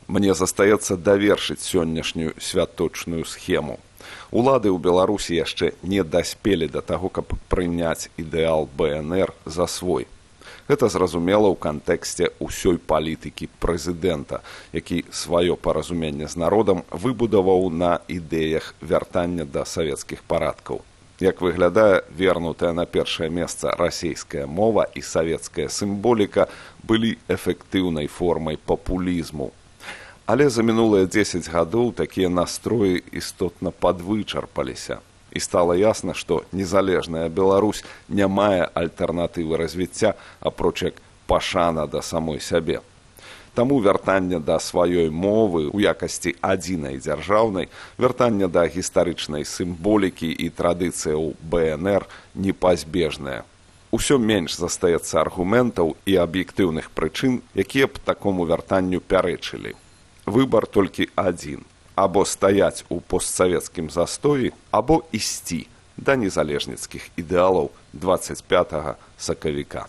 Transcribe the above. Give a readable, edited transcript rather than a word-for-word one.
Мне застаецца давершыць сённяшнюю святочную схему. Улады ў Беларусі яшчэ не даспелі да таго, каб прыняць ідэал БНР за свой. Гэта зразумела ў кантэксце ўсёй палітыкі прэзідэнта, які сваё паразуменне з народам выбудаваў на ідэях вяртання да савецкіх парадкаў. Як выглядае, вернутая на першае месца расійская мова і савецкая сімволіка былі эфектыўнай формай папулізму. Але за мінулыя 10 гадоў такія настроі істотна падвычарпаліся. І стала ясна, што незалежная Беларусь не мае альтэрнатывы развіцця, апроч як пашана да самой сябе. Таму вяртанне да сваёй мовы ў якасці адзінай дзяржаўнай, вяртанне да гістарычнай сімволікі і традыцыяў БНР непазбежнае. Усё менш застаецца аргументаў і аб'ектыўных прычын, якія б такому вяртанню пярэчылі. Выбар толькі адзін. Або стаяць у постсавецкім застоі, або ісці да незалежніцкіх ідэалаў 25 сакавіка.